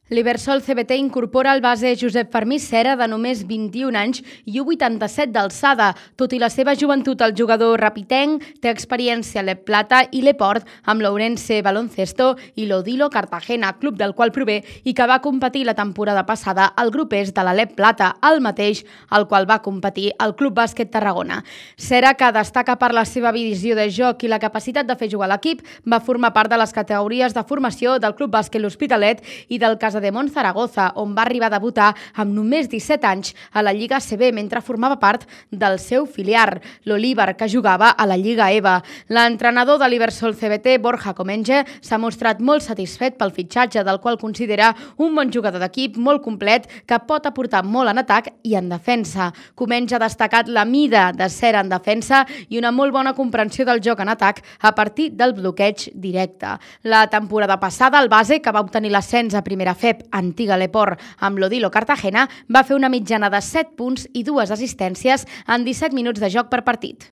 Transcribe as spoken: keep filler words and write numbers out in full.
L'Ibersol C B T incorpora el base Josep Fermí Cera, de només vint-i-un anys i un coma vuitanta-set d'alçada. Tot i la seva joventut, el jugador rapitenc té experiència a l'E P Plata i l'Eport amb l'Ourense Baloncesto i l'Odilo Cartagena, club del qual prové i que va competir la temporada passada al grup est de la l'E P Plata, el mateix al qual va competir el Club Bàsquet Tarragona. Cera, que destaca per la seva visió de joc i la capacitat de fer jugar l'equip, va formar part de les categories de formació del Club Bàsquet L'Hospitalet i del Casa de Mont Zaragoza, on va arribar a debutar amb només disset anys a la Lliga A C B mentre formava part del seu filial, l'Olívar, que jugava a la Lliga E V A. L'entrenador de l'Ibersol C B T, Borja Comenge, s'ha mostrat molt satisfet pel fitxatge, del qual considera un bon jugador d'equip molt complet que pot aportar molt en atac i en defensa. Comenge ha destacat la mida de Cera en defensa i una molt bona comprensió del joc en atac a partir del bloqueig directe. La temporada passada, el base, que va obtenir l'ascens a primera F E P, antiga l'Eport, amb l'Odilo Cartagena, va fer una mitjana de set punts i dues assistències en disset minuts de joc per partit.